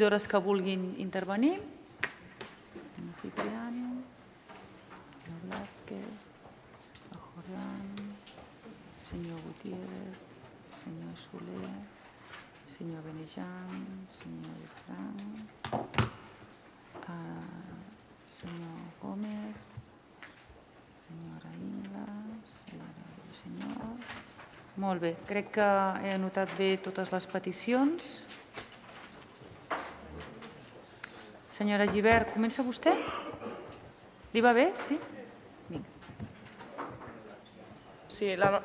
regidores que vulguin intervenir. Cipriano, Blázquez, Jordán, senyor Gutiérrez, senyor Soler, senyor Benejam, senyor Frank, senyor Gómez, senyora Ingla, senyor... Molt bé, crec que he anotat bé totes les peticions. Senyora Gibert, comença vostè? Li va bé? Sí? Sí, la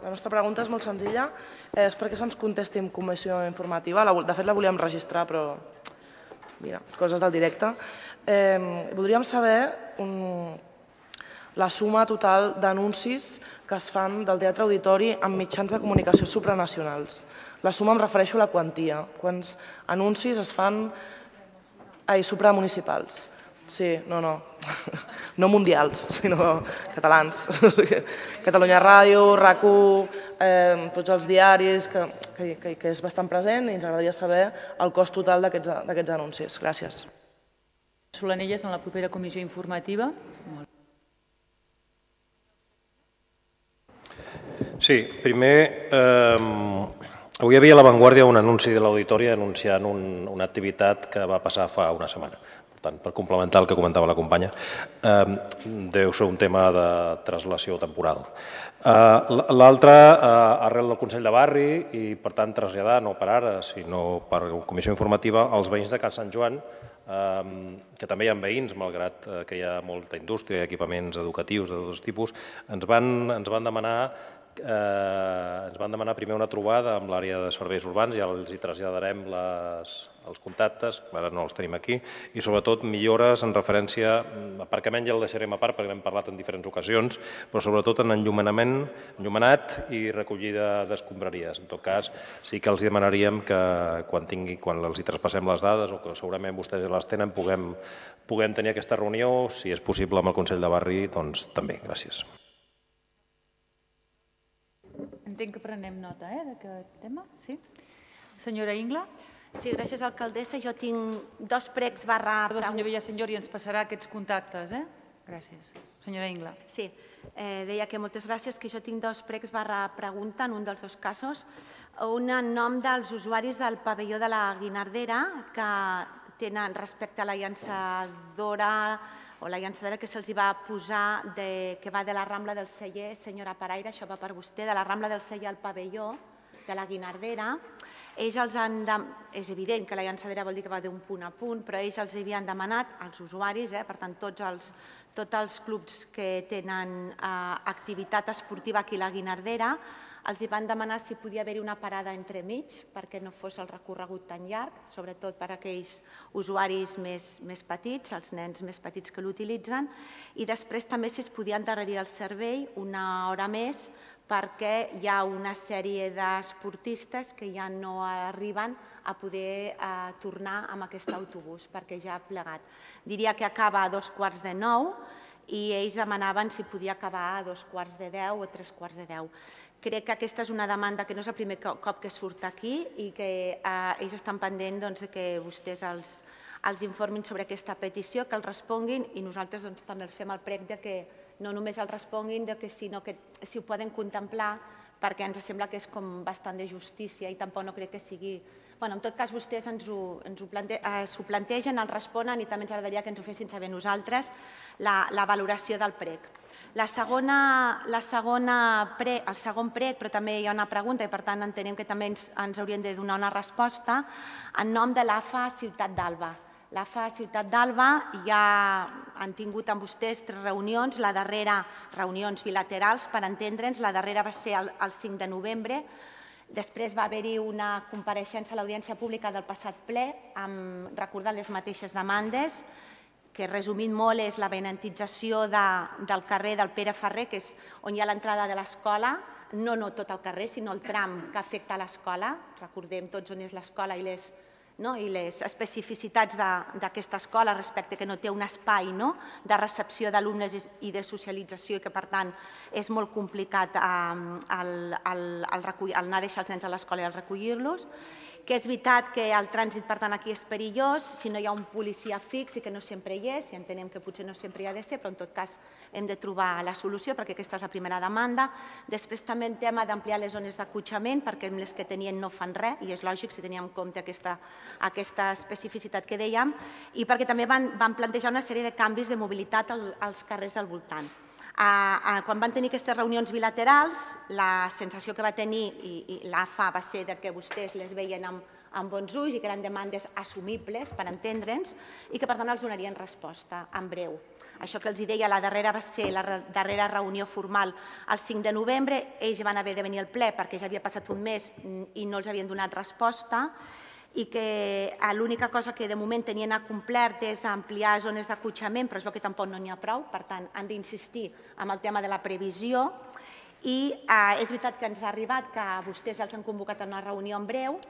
nostra pregunta és molt senzilla. És perquè se'ns contesti en comissió informativa. De fet, la volíem registrar, però mira, coses del directe. Voldríem saber la suma total d'anuncis que es fan del Teatre Auditori amb mitjans de comunicació supranacionals. La suma em refereixo a la quantia. Quants anuncis es fan supramunicipals? Sí, no no mundials, sinó catalans. Catalunya Ràdio, RAC1, tots els diaris, que és bastant present i ens agradaria saber el cost total d'aquests anuncis. Gràcies. Solanelles en la propera comissió informativa. Sí, primer, avui hi havia a La Vanguardia un anunci de l'Auditori anunciant una activitat que va passar fa una setmana. Per tant, per complementar el que comentava la companya, deu ser un tema de translació temporal. L'altre, arrel del Consell de Barri i, per tant, traslladar, no per ara, sinó per comissió informativa, als veïns de Can Sant Joan, que també hi ha veïns, malgrat que hi ha molta indústria i equipaments educatius de tots tipus, ens van demanar primer una trobada amb l'àrea de serveis urbans, ja els hi traslladarem els contactes, ara no els tenim aquí, i sobretot millores en referència, aparcament ja el deixarem a part perquè n'hem parlat en diferents ocasions, però sobretot en enllumenat i recollida d'escombraries. En tot cas, sí que els demanaríem que quan els hi traspassem les dades, o que segurament vostès ja les tenen, puguem tenir aquesta reunió, si és possible amb el Consell de Barri, doncs també. Gràcies. Entenc que prenem nota d'aquest tema, sí? Senyora Ingla? Sí, gràcies, alcaldessa. Jo tinc dos pregs barra... Perdó, senyor Villasenyor, i ens passarà aquests contactes, Gràcies. Senyora Ingla. Sí, deia que moltes gràcies, que jo tinc dos pregs barra pregunta en un dels dos casos. Un en nom dels usuaris del pavelló de la Guinardera, que tenen respecte a la llançadora o la llançadora que se'ls va posar, que va de la Rambla del Celler, senyora Paraire, això va per vostè, de la Rambla del Celler al pavelló de la Guinardera. Ells els han... És evident que la llançadera vol dir que va d'un punt a punt, però ells els havien demanat, als usuaris, per tant, tots els clubs que tenen activitat esportiva aquí a la Guinardera, els van demanar si podia haver-hi una parada entremig perquè no fos el recorregut tan llarg, sobretot per a aquells usuaris més petits, els nens més petits que l'utilitzen, i després també si es podia endarrerir el servei una hora més perquè hi ha una sèrie d'esportistes que ja no arriben a poder tornar amb aquest autobús perquè ja ha plegat. Diria que acaba a 8:45 i ells demanaven si podia acabar a 8:45 o 3:45. Crec que aquesta és una demanda que no és el primer cop que surt aquí i que ells estan pendents que vostès els informin sobre aquesta petició, que els responguin i nosaltres també els fem el prec que no només els responguin, sinó que si ho poden contemplar, perquè ens sembla que és com bastant de justícia i tampoc no crec que sigui... En tot cas, vostès ens ho plantegen, els responen i també ens agradaria que ens ho fessin saber nosaltres la valoració del prec. El segon prec, però també hi ha una pregunta i per tant entenem que també ens haurien de donar una resposta, en nom de l'AFA Ciutat d'Alba. L'AFA Ciutat d'Alba ja han tingut amb vostès 3 reunions, la darrera, reunions bilaterals per entendre'ns, la darrera va ser el 5 de novembre, després va haver-hi una compareixença a l'audiència pública del passat ple, recordant les mateixes demandes, que resumint molt és la benentització del carrer del Pere Ferrer, que és on hi ha l'entrada de l'escola, no tot el carrer, sinó el tram que afecta l'escola, recordem tots on és l'escola i les especificitats d'aquesta escola respecte que no té un espai de recepció d'alumnes i de socialització i que per tant és molt complicat anar a deixar els nens a l'escola i recollir-los. que és veritat que el trànsit, per tant, aquí és perillós, si no hi ha un policia fix i que no sempre hi és, i entenem que potser no sempre hi ha de ser, però en tot cas hem de trobar la solució perquè aquesta és la primera demanda. Després també el tema d'ampliar les zones d'acotxament perquè les que tenien no fan res i és lògic si teníem en compte aquesta especificitat que dèiem i perquè també van plantejar una sèrie de canvis de mobilitat als carrers del voltant. Quan van tenir aquestes reunions bilaterals, la sensació que va tenir i l'AFA va ser que vostès les veien amb bons ulls i que eren demandes assumibles per entendre'ns i que per tant els donarien resposta en breu. Això que els deia, la darrera va ser la darrera reunió formal el 5 de novembre, ells van haver de venir al ple perquè ja havia passat un mes i no els havien donat resposta i que l'única cosa que de moment tenien acomplert és ampliar zones d'acotxament, però es veu que tampoc no n'hi ha prou, per tant han d'insistir en el tema de la previsió i és veritat que ens ha arribat que vostès els han convocat a una reunió en breu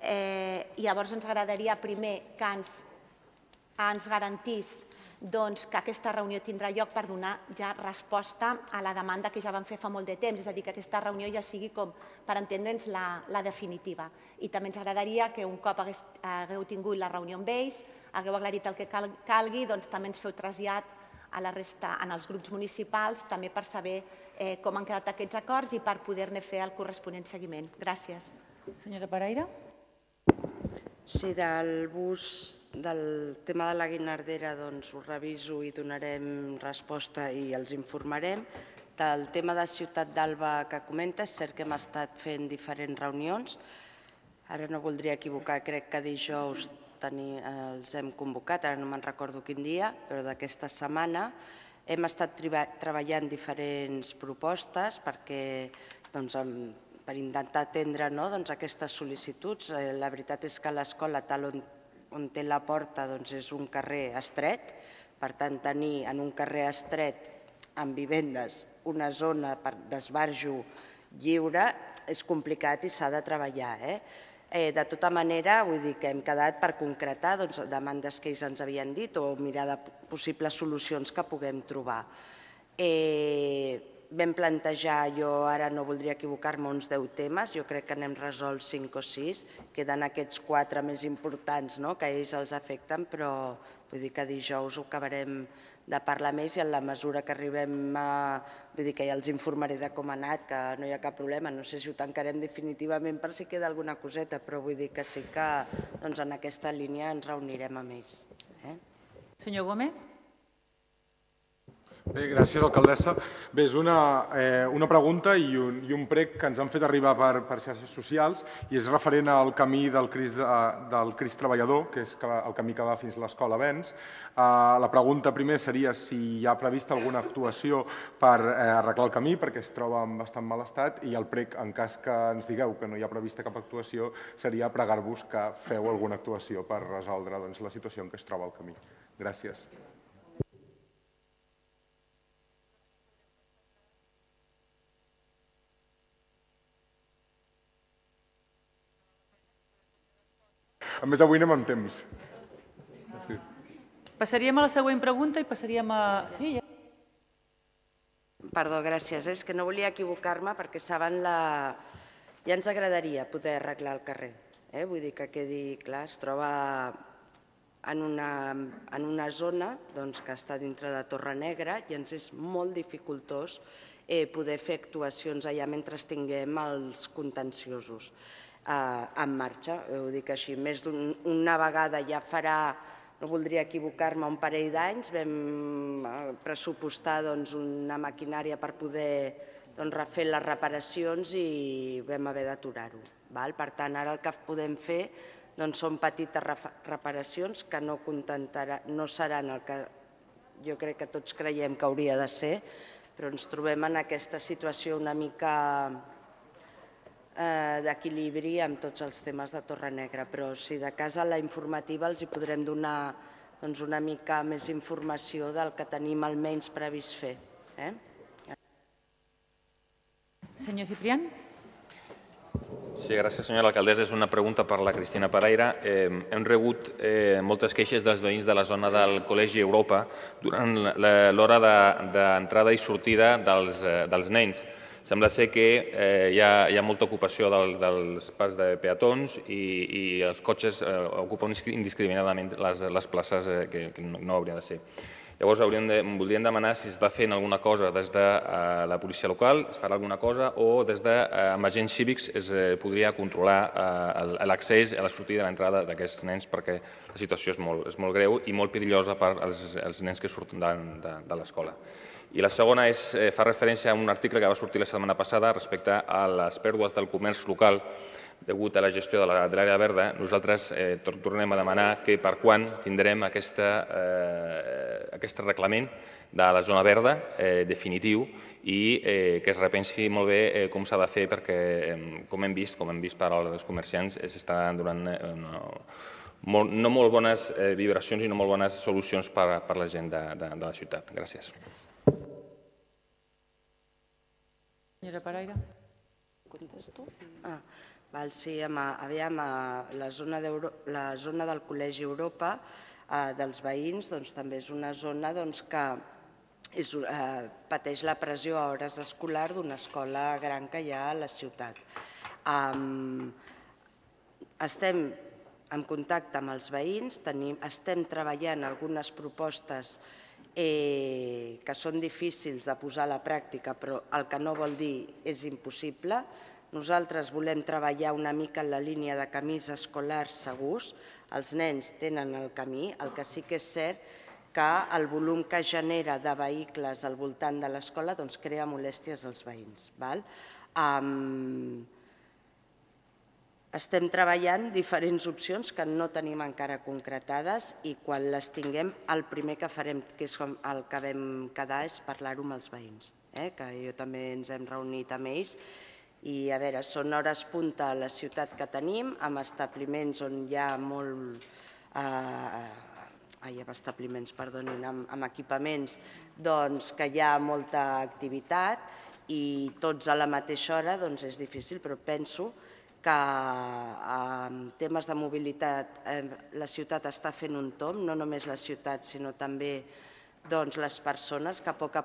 i llavors ens agradaria primer que ens garantís que aquesta reunió tindrà lloc per donar ja resposta a la demanda que ja van fer fa molt de temps, és a dir, que aquesta reunió ja sigui com per entendre'ns la definitiva. I també ens agradaria que un cop hagueu tingut la reunió amb ells, hagueu aclarit el que calgui, doncs també ens feu trasllat a la resta, en els grups municipals, també per saber com han quedat aquests acords i per poder-ne fer el corresponent seguiment. Gràcies. Senyora Pereira. Sí, del tema de la Guinardera ho reviso i donarem resposta i els informarem. Del tema de Ciutat d'Alba que comenta, és cert que hem estat fent diferents reunions. Ara no voldria equivocar, crec que dijous els hem convocat, ara no me'n recordo quin dia, però d'aquesta setmana hem estat treballant diferents propostes per intentar atendre aquestes sol·licituds. La veritat és que l'escola, tal on té la porta, és un carrer estret. Per tant, tenir en un carrer estret amb vivendes una zona d'esbarjo lliure és complicat i s'ha de treballar. De tota manera, vull dir que hem quedat per concretar demandes que ells ens havien dit o mirar de possibles solucions que puguem trobar. Vam plantejar, jo ara no voldria equivocar-me, uns 10 temes, jo crec que n'hem resolt 5 o 6, queden aquests 4 més importants que a ells els afecten, però vull dir que dijous ho acabarem de parlar més i en la mesura que arribem vull dir que ja els informaré de com ha anat, que no hi ha cap problema, no sé si ho tancarem definitivament per si queda alguna coseta, però vull dir que sí que en aquesta línia ens reunirem amb ells. Senyor Gómez. Bé, gràcies, alcaldessa. Bé, és una pregunta i un prec que ens han fet arribar per xarxes socials i és referent al camí del Crist Treballador, que és el camí que va fins a l'Escola Vents. La pregunta primer seria si hi ha prevista alguna actuació per arreglar el camí, perquè es troba en bastant mal estat, i el prec, en cas que ens digueu que no hi ha prevista cap actuació, seria pregar-vos que feu alguna actuació per resoldre la situació en què es troba el camí. Gràcies. A més, avui anem amb temps. Passaríem a la següent pregunta i passaríem a... Perdó, gràcies. És que no volia equivocar-me perquè saben ja ens agradaria poder arreglar el carrer. Vull dir que quedi clar, es troba en una zona que està dintre de Torrenegra i ens és molt dificultós poder fer actuacions allà mentre tinguem els contenciosos en marxa. Ho dic així, més d'una vegada ja farà, no voldria equivocar-me, un parell d'anys vam pressupostar una maquinària per poder refer les reparacions i vam haver d'aturar-ho. Per tant, ara el que podem fer són petites reparacions que no seran el que jo crec que tots creiem que hauria de ser, però ens trobem en aquesta situació una mica d'equilibri amb tots els temes de Torrenegra, però si de cas a la informativa els hi podrem donar una mica més informació del que tenim almenys previst fer. Senyor Ciprián. Sí, gràcies, senyora alcaldessa. És una pregunta per la Cristina Pereira. Hem rebut moltes queixes dels veïns de la zona del Col·legi Europa durant l'hora d'entrada i sortida dels nens. Sembla ser que hi ha molta ocupació dels pas de peatons i els cotxes ocupen indiscriminadament les places que no haurien de ser. Llavors voldríem demanar si s'està fent alguna cosa des de la policia local, es farà alguna cosa, o des amb agents cívics es podria controlar l'accés a la sortida i l'entrada d'aquests nens, perquè la situació és molt greu i molt perillosa per als nens que surten de l'escola. I la segona fa referència a un article que va sortir la setmana passada respecte a les pèrdues del comerç local degut a la gestió de l'àrea verda. Nosaltres tornem a demanar que per quan tindrem aquest reglament de la zona verda definitiu i que es repensi molt bé com s'ha de fer perquè, com hem vist per als comerciants, s'estan donant no molt bones vibracions i no molt bones solucions per la gent de la ciutat. Gràcies. Senyora Paraire. Contesto? Sí, aviam, la zona del Col·legi Europa dels veïns també és una zona que pateix la pressió a hores escolar d'una escola gran que hi ha a la ciutat. Estem en contacte amb els veïns, estem treballant algunes propostes que són difícils de posar a la pràctica, però el que no vol dir és impossible. Nosaltres volem treballar una mica en la línia de camins escolars segurs. Els nens tenen el camí, el que sí que és cert que el volum que genera de vehicles al voltant de l'escola crea molèsties als veïns. Estem treballant diferents opcions que no tenim encara concretades i quan les tinguem el primer que farem, que és el que vam quedar, és parlar-ho amb els veïns, que jo també ens hem reunit amb ells. I a veure, són hores punta a la ciutat que tenim, amb establiments on hi ha amb equipaments que hi ha molta activitat i tots a la mateixa hora és difícil, però penso que en temes de mobilitat la ciutat està fent un tomb, no només la ciutat sinó també les persones, que a poc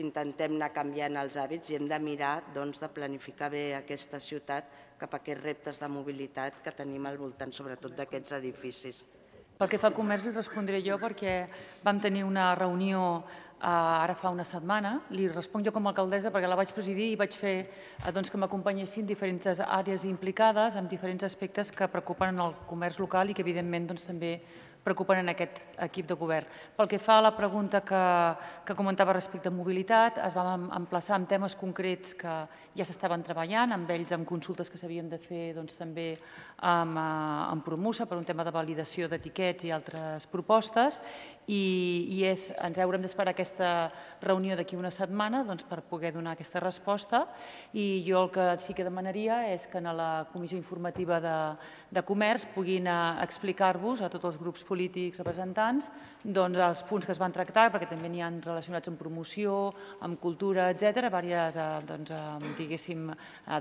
intentem anar canviant els hàbits i hem de mirar de planificar bé aquesta ciutat cap a aquests reptes de mobilitat que tenim al voltant, sobretot d'aquests edificis. Pel que fa al comerç li respondré jo perquè vam tenir una reunió ara fa una setmana. Li responc jo com a alcaldessa perquè la vaig presidir i vaig fer que m'acompanyessin diferents àrees implicades en diferents aspectes que preocupen el comerç local i que evidentment també preocupen en aquest equip de govern. Pel que fa a la pregunta que comentava respecte a mobilitat, es vam emplaçar en temes concrets que ja s'estaven treballant, amb ells, amb consultes que s'havien de fer també amb Promusa per un tema de validació d'etiquets i altres propostes, i ens haurem d'esperar aquesta reunió d'aquí una setmana per poder donar aquesta resposta, i jo el que sí que demanaria és que en la comissió informativa de comerç puguin explicar-vos a tots els grups polítics representants els punts que es van tractar, perquè també n'hi ha relacionats amb promoció, amb cultura, etc., diverses, diguéssim,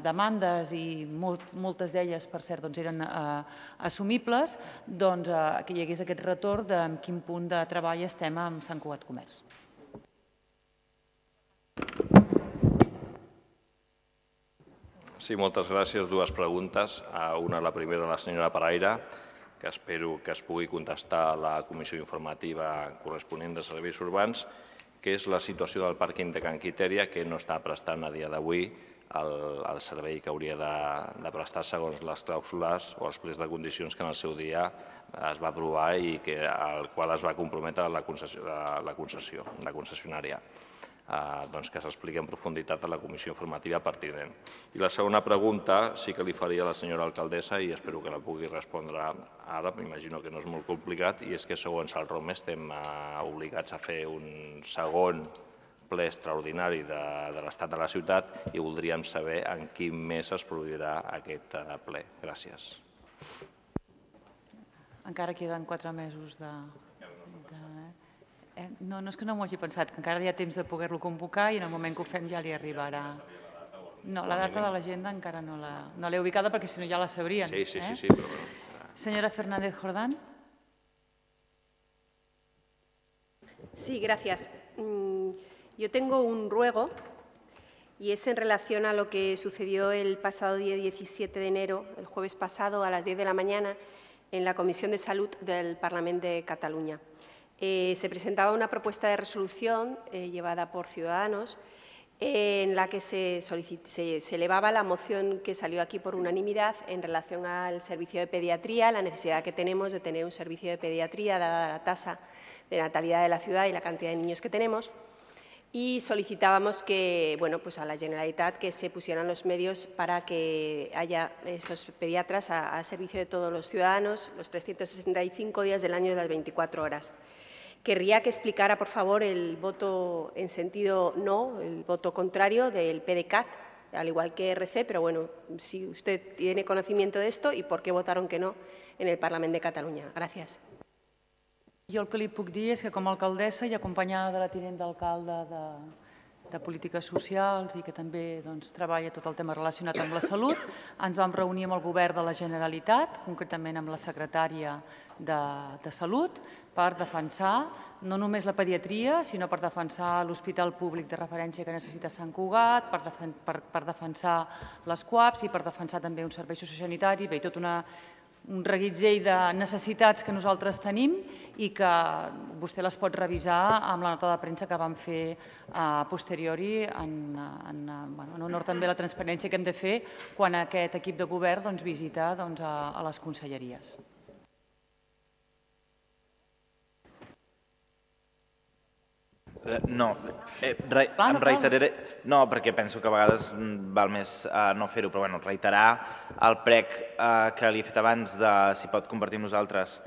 demandes i moltes d'elles, per cert, eren assumibles, que hi hagués aquest retorn de en quin punt de treball estem amb Sant Cugat Comerç. Sí, moltes gràcies. Dues preguntes. La primera a la senyora Paraire, que espero que es pugui contestar a la comissió informativa corresponent de serveis urbans, que és la situació del pàrquing de Can Quitèria, que no està prestant a dia d'avui el servei que hauria de prestar segons les clàusules o els plecs de condicions que en el seu dia es va aprovar i al qual es va comprometre la concessionària. Que s'expliqui en profunditat a la comissió informativa pertinent. I la segona pregunta sí que li faria a la senyora alcaldessa i espero que la pugui respondre ara, m'imagino que no és molt complicat, i és que segons el ROM estem obligats a fer un segon ple extraordinari de l'estat de la ciutat i voldríem saber en quin mes es produirà aquest ple. Gràcies. Encara queden 4 mesos de... No, és que no m'ho hagi pensat, que encara hi ha temps de poder-lo convocar i en el moment que ho fem ja li arribarà. No, la data de l'agenda encara no l'he ubicada perquè si no ja la sabrien. Sí, però... Señora Fernández Jordán. Sí, gracias. Yo tengo un ruego y es en relación a lo que sucedió el pasado día 17 de enero, el jueves pasado, a las 10 de la mañana, en la Comisión de Salud del Parlament de Cataluña. Se presentaba una propuesta de resolución llevada por Ciudadanos en la que se elevaba la moción que salió aquí por unanimidad en relación al servicio de pediatría, la necesidad que tenemos de tener un servicio de pediatría dada la tasa de natalidad de la ciudad y la cantidad de niños que tenemos. Y solicitábamos que, pues a la Generalitat que se pusieran los medios para que haya esos pediatras a servicio de todos los ciudadanos los 365 días del año de las 24 horas. Querría que explicara, por favor, el voto en sentido no, el voto contrario del PDeCAT, al igual que RC, pero bueno, si usted tiene conocimiento de esto y por qué votaron que no en el Parlament de Catalunya. Gràcies. Jo el que li puc dir és que com a alcaldessa i acompanyada de la tinent d'alcalde de Polítiques Socials i que també treballa tot el tema relacionat amb la salut, ens vam reunir amb el govern de la Generalitat, concretament amb la secretària de Salut, per defensar no només la pediatria, sinó per defensar l'hospital públic de referència que necessita Sant Cugat, per defensar les CUAPs i per defensar també un servei sociosanitari, bé, tot un reguitzell de necessitats que nosaltres tenim i que vostè les pot revisar amb la nota de premsa que vam fer a posteriori en honor també a la transparència que hem de fer quan aquest equip de govern visita a les conselleries. No, em reiteraré... No, perquè penso que a vegades val més no fer-ho, però reiterar el prec que li he fet abans de si pot compartir amb nosaltres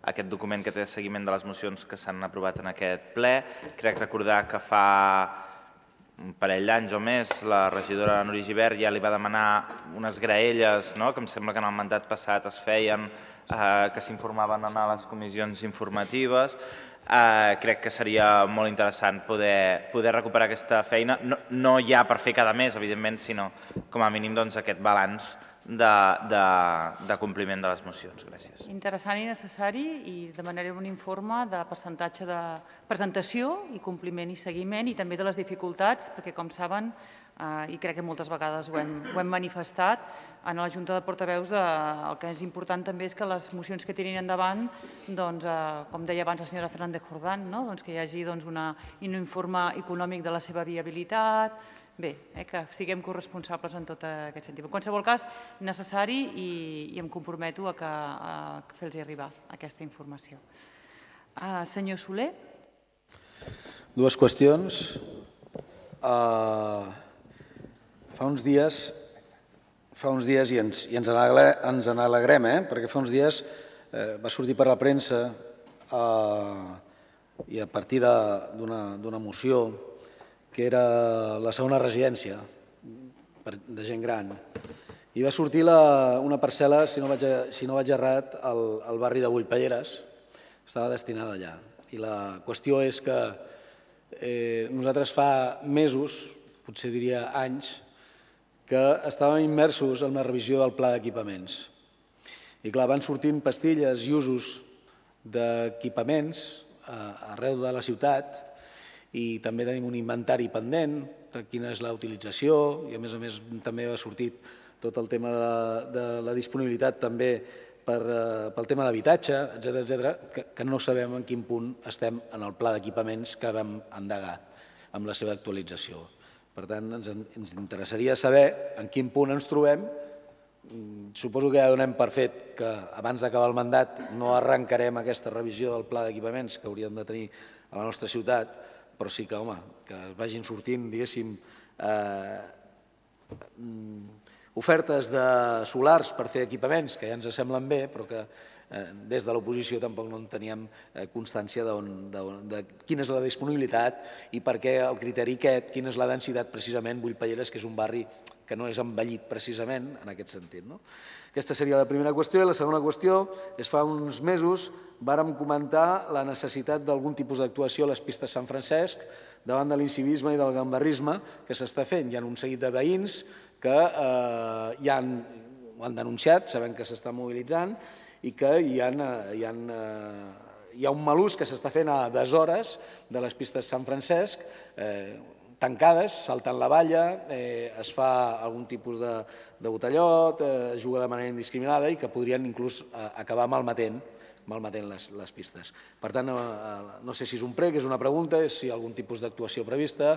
aquest document que té seguiment de les mocions que s'han aprovat en aquest ple. Crec recordar que fa un parell d'anys o més la regidora Núria Gibert ja li va demanar unes graelles, que em sembla que en el mandat passat es feien, que s'informaven a les comissions informatives. Crec que seria molt interessant poder recuperar aquesta feina, no ja per fer cada mes, evidentment, sinó com a mínim aquest balanç de compliment de les mocions. Gràcies. Interessant i necessari i demanaré un informe de percentatge de presentació i compliment i seguiment i també de les dificultats, perquè com saben, i crec que moltes vegades ho hem manifestat, en la Junta de Portaveus el que és important també és que les mocions que tirin endavant, com deia abans la senyora Fernández Jordán, que hi hagi un informe econòmic de la seva viabilitat, bé, que siguem corresponsables en tot aquest sentit. En qualsevol cas, necessari i em comprometo a fer-los arribar aquesta informació. Senyor Soler. Dues qüestions. Fa uns dies i ens n'alegrem, perquè fa uns dies va sortir per la premsa i a partir d'una moció que era la segona residència de gent gran i va sortir una parcel·la, si no vaig errat, al barri de Bullpelleres, estava destinada allà. I la qüestió és que nosaltres fa mesos, potser diria anys, que estàvem immersos en la revisió del pla d'equipaments. I clar, van sortint pastilles i usos d'equipaments arreu de la ciutat i també tenim un inventari pendent de quina és la utilització i a més també ha sortit tot el tema de la disponibilitat també pel tema d'habitatge, etcètera, que no sabem en quin punt estem en el pla d'equipaments que vam endegar amb la seva actualització. Per tant, ens interessaria saber en quin punt ens trobem. Suposo que ja donem per fet que abans d'acabar el mandat no arrencarem aquesta revisió del pla d'equipaments que hauríem de tenir a la nostra ciutat, però sí que, que vagin sortint, diguéssim, ofertes de solars per fer equipaments que ja ens semblen bé, però que des de l'oposició tampoc no en teníem constància de quina és la disponibilitat i per què el criteri aquest, quina és la densitat precisament Bullpelleres, que és un barri que no és envellit precisament en aquest sentit. Aquesta seria la primera qüestió. I la segona qüestió és fa uns mesos vàrem comentar la necessitat d'algun tipus d'actuació a les pistes Sant Francesc davant de l'incivisme i del gambarrisme que s'està fent. Hi ha un seguit de veïns que ja ho han denunciat, sabem que s'està mobilitzant i que hi ha un mal ús que s'està fent a deshores de les pistes Sant Francesc, tancades, saltant la valla, es fa algun tipus de botellot, es juga de manera indiscriminada i que podrien inclús acabar malmetent les pistes. Per tant, no sé si és un prec, és una pregunta, si hi ha algun tipus d'actuació prevista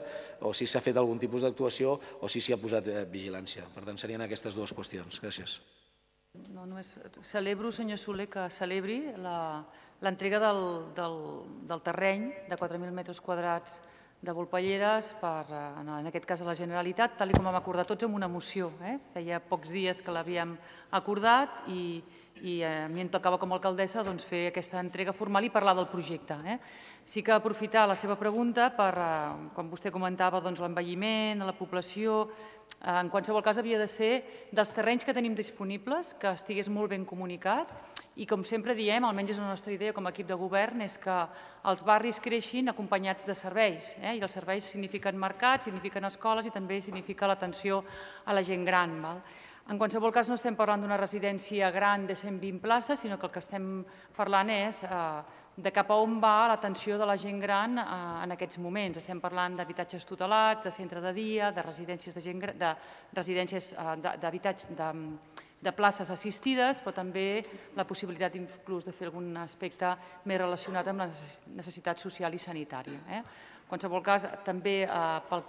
o si s'ha fet algun tipus d'actuació o si s'hi ha posat vigilància. Per tant, serien aquestes dues qüestions. Gràcies. Celebro, senyor Soler, que celebri l'entrega del terreny de 4.000 metres quadrats de Volpelleres, en aquest cas a la Generalitat, tal com vam acordar tots amb una moció. Feia pocs dies que l'havíem acordat i a mi em tocava com a alcaldessa fer aquesta entrega formal i parlar del projecte. Sí que aprofitar la seva pregunta per, com vostè comentava, l'envelliment, la població. En qualsevol cas, havia de ser dels terrenys que tenim disponibles, que estigués molt ben comunicat i, com sempre diem, almenys és la nostra idea com a equip de govern, és que els barris creixin acompanyats de serveis. I els serveis signifiquen mercats, signifiquen escoles i també significa l'atenció a la gent gran. En qualsevol cas, no estem parlant d'una residència gran de 120 places, sinó que el que estem parlant és de cap a on va l'atenció de la gent gran en aquests moments. Estem parlant d'habitatges tutelats, de centre de dia, de residències de places assistides, però també la possibilitat inclús de fer algun aspecte més relacionat amb la necessitat social i sanitària. En qualsevol cas, també pel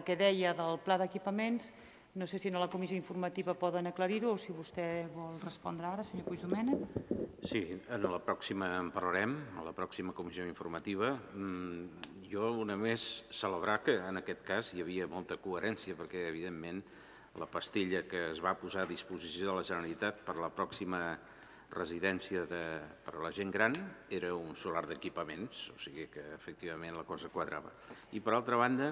que deia del pla d'equipaments, no sé si a la comissió informativa poden aclarir-ho o si vostè vol respondre ara, senyor Puigdomènech. Sí, en la pròxima en parlarem, a la pròxima comissió informativa. Jo només celebrar que en aquest cas hi havia molta coherència perquè, evidentment, la pastilla que es va posar a disposició de la Generalitat per la pròxima residència per a la gent gran era un solar d'equipaments, o sigui que efectivament la cosa quadrava. I per altra banda,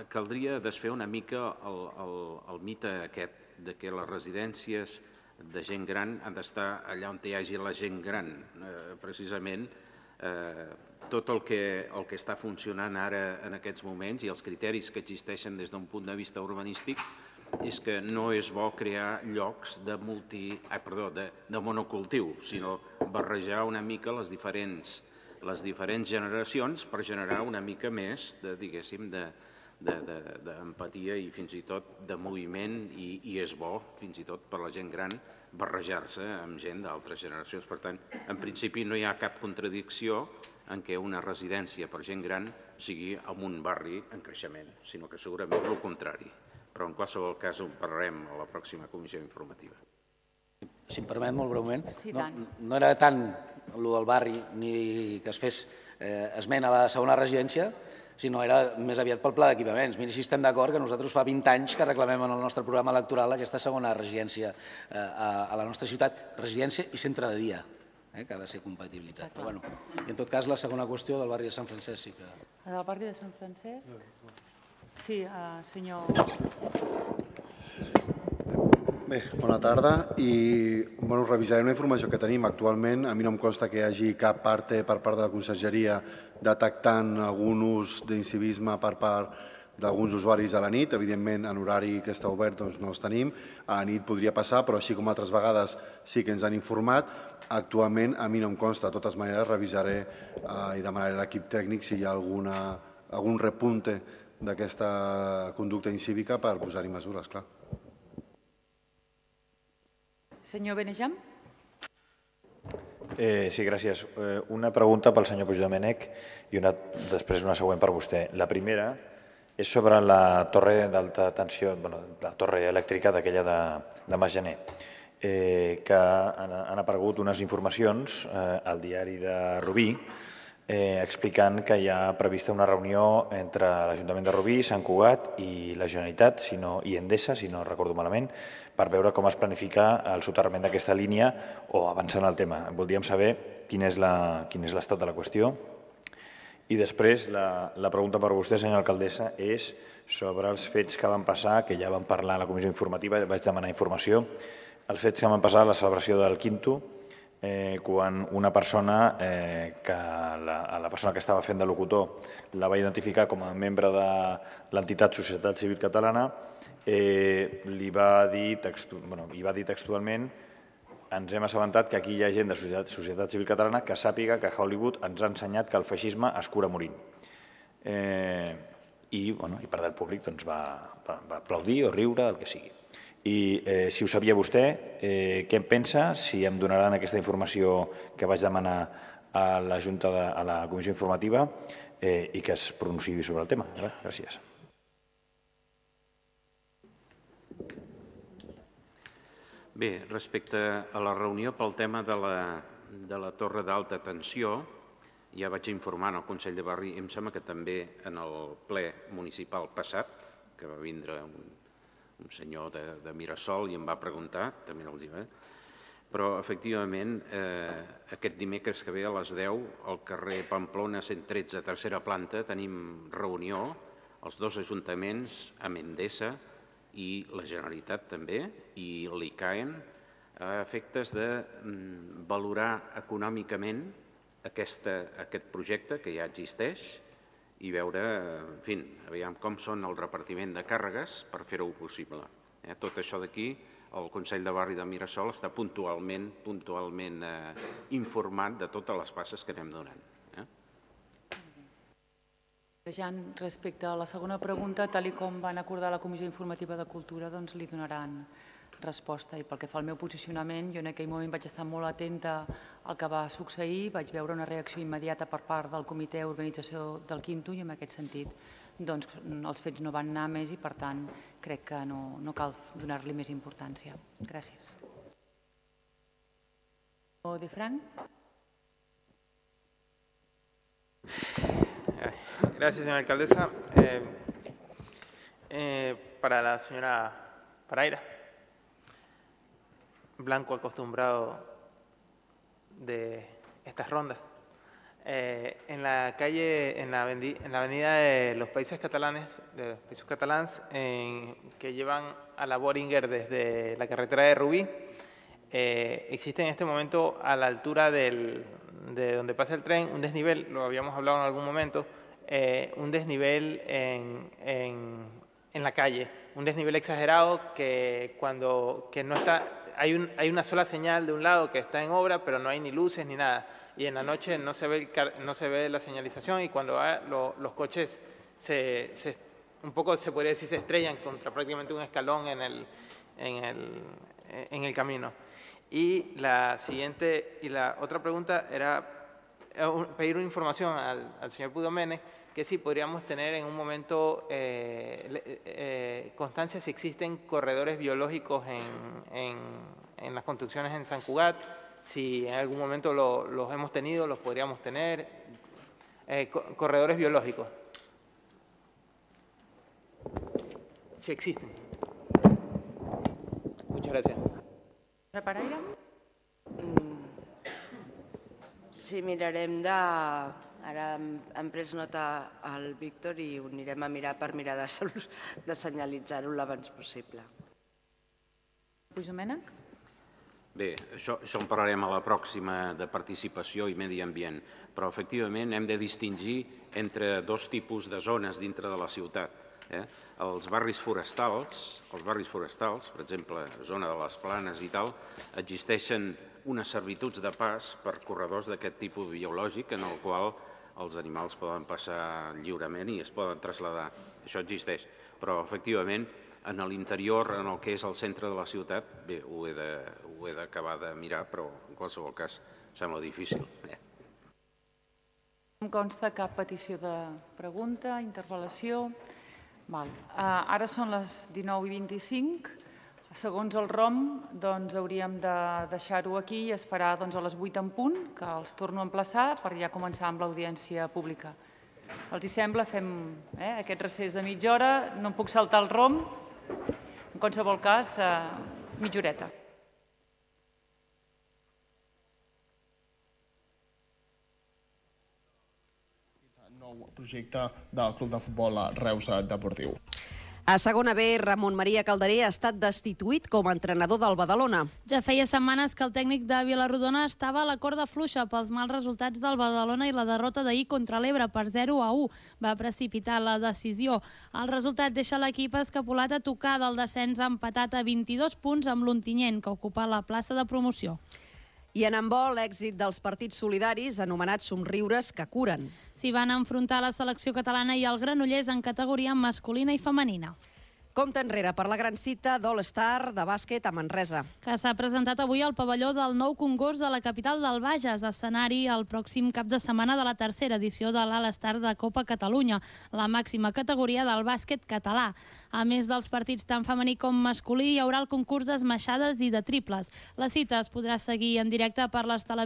caldria desfer una mica el mite aquest de que les residències de gent gran han d'estar allà on hi hagi la gent gran. Precisament tot el que està funcionant ara en aquests moments i els criteris que existeixen des d'un punt de vista urbanístic és que no és bo crear llocs de monocultiu, sinó barrejar una mica les diferents generacions per generar una mica més d'empatia i fins i tot de moviment i és bo, fins i tot per la gent gran, barrejar-se amb gent d'altres generacions. Per tant, en principi no hi ha cap contradicció en què una residència per gent gran sigui en un barri en creixement, sinó que segurament el contrari. Però en qualsevol cas ho parlarem a la pròxima comissió informativa. Si em permet, molt breument, no era tant el del barri ni que es fes esment a la segona residència, sinó era més aviat pel pla d'equipaments. Miri, si estem d'acord que nosaltres fa 20 anys que reclamem en el nostre programa electoral aquesta segona residència a la nostra ciutat, residència i centre de dia, que ha de ser compatibilitzat. Però, i en tot cas, la segona qüestió del barri de Sant Francesc sí que... Del barri de Sant Francesc? Sí, senyor... Bé, bona tarda i revisarem la informació que tenim. Actualment a mi no em consta que hi hagi cap parte per part de la conselleria detectant algun ús d'incivisme per part d'alguns usuaris a la nit. Evidentment, en horari que està obert no els tenim. A la nit podria passar, però així com altres vegades sí que ens han informat. Actualment a mi no em consta. De totes maneres, revisaré i demanaré a l'equip tècnic si hi ha algun repunte d'aquesta conducta incívica per posar-hi mesures, clar. Senyor Benejam. Sí, gràcies. Una pregunta pel senyor Puigdomènech i després una següent per vostè. La primera és sobre la torre d'alta tensió, la torre elèctrica d'aquella de Mas Gener, que han aparegut unes informacions al diari de Rubí explicant que hi ha prevista una reunió entre l'Ajuntament de Rubí, Sant Cugat i la Generalitat i Endesa, si no recordo malament, per veure com es planifica el soterrament d'aquesta línia o avançant el tema. Voldríem saber quin és l'estat de la qüestió. I després, la pregunta per vostè, senyora alcaldessa, és sobre els fets que van passar, que ja vam parlar a la comissió informativa, vaig demanar informació, els fets que van passar a la celebració del Quinto, quan una persona, la persona que estava fent de locutor, la va identificar com a membre de l'entitat Societat Civil Catalana, li va dir textualment: ens hem assabentat que aquí hi ha gent de Societat Civil Catalana que sàpiga que Hollywood ens ha ensenyat que el feixisme es cura morint. i part del públic va aplaudir o riure, el que sigui. I si ho sabia vostè, què en pensa, si em donaran aquesta informació que vaig demanar a la comissió informativa i que es pronunciï sobre el tema. Gràcies. Bé, respecte a la reunió pel tema de la torre d'alta tensió, ja vaig informar al Consell de Barri, em sembla que també en el ple municipal passat, que va vindre un senyor de Mirasol i em va preguntar, també el dia, però efectivament aquest dimecres que ve a les 10 al carrer Pamplona 113, tercera planta, tenim reunió els dos ajuntaments, amb Endesa i la Generalitat també, i l'ICAEN, a efectes de valorar econòmicament aquest projecte que ja existeix i veure, en fi, aviam com són el repartiment de càrregues per fer-ho possible. Tot això d'aquí, el Consell de Barri de Mirasol està puntualment informat de totes les passes que anem donant. Jan, respecte a la segona pregunta, tal com van acordar la Comissió Informativa de Cultura, doncs li donaran resposta. I pel que fa al meu posicionament, jo en aquell moment vaig estar molt atenta al que va succeir, vaig veure una reacció immediata per part del comitè d'organització del Quinto i en aquest sentit doncs, els fets no van anar més i per tant crec que no cal donar-li més importància. Gràcies. De Frank. Gracias, señora alcaldesa. Para la señora Paraira, blanco acostumbrado de estas rondas. En la calle, en la avenida de los Països Catalans, que llevan a la Boehringer desde la carretera de Rubí, existe en este momento a la altura de donde pasa el tren un desnivel, lo habíamos hablado en algún momento, un desnivel en la calle, un desnivel exagerado que no está, hay una sola señal de un lado que está en obra, pero no hay ni luces ni nada, y en la noche no se ve la señalización y cuando los coches un poco se podría decir se estrellan contra prácticamente un escalón en el camino. Y la otra pregunta era pedir una información al señor Pudomene que si podríamos tener en un momento constancia si existen corredores biológicos en las construcciones en San Cugat, si en algún momento los hemos tenido, los podríamos tener, corredores biológicos, si existen. Muchas gracias. Paraire? Sí, mirarem de... Ara hem pres nota al Víctor i ho anirem a mirar per mirar de senyalitzar-ho l'abans possible. Puigdomènech? Bé, això en parlarem a la pròxima de participació i medi ambient, però efectivament hem de distingir entre dos tipus de zones dintre de la ciutat. Els barris forestals, per exemple, zona de les Planes i tal, existeixen unes servituds de pas per corredors d'aquest tipus biològic en el qual els animals poden passar lliurement i es poden traslladar. Això existeix, però efectivament en l'interior, en el que és el centre de la ciutat, bé, ho he d'acabar de mirar, però en qualsevol cas sembla difícil. Em consta cap petició de pregunta, interpel·lació. Ara són les 19:25. Segons el ROM, doncs hauríem de deixar-ho aquí i esperar a les 8 en punt, que els torno a emplaçar per ja començar amb l'audiència pública. Els hi sembla? Fem aquest recés de mitja hora. No em puc saltar el ROM. En qualsevol cas, mitja horeta. Nou projecte del Club de Futbol Reus Deportiu. A segona B, Ramon Maria Calderer ha estat destituït com a entrenador del Badalona. Ja feia setmanes que el tècnic de Vilarrodona estava a la corda fluixa pels mals resultats del Badalona i la derrota d'ahir contra l'Ebre per 0-1. Va precipitar la decisió. El resultat deixa l'equip escapolat a tocar del descens empatat a 22 punts amb l'Ontinyent, que ocupa la plaça de promoció. I en handbol, l'èxit dels partits solidaris anomenats somriures que curen. S'hi van enfrontar la selecció catalana i el Granollers en categoria masculina i femenina. Compte enrere per la gran cita d'All-Star de bàsquet a Manresa. Que s'ha presentat avui al pavelló del nou concurs de la capital del Bages, escenari el pròxim cap de setmana de la tercera edició de l'All-Star de Copa Catalunya, la màxima categoria del bàsquet català. A més dels partits tant femení com masculí, hi haurà el concurs d'esmaixades i de triples. La cita es podrà seguir en directe per les televisions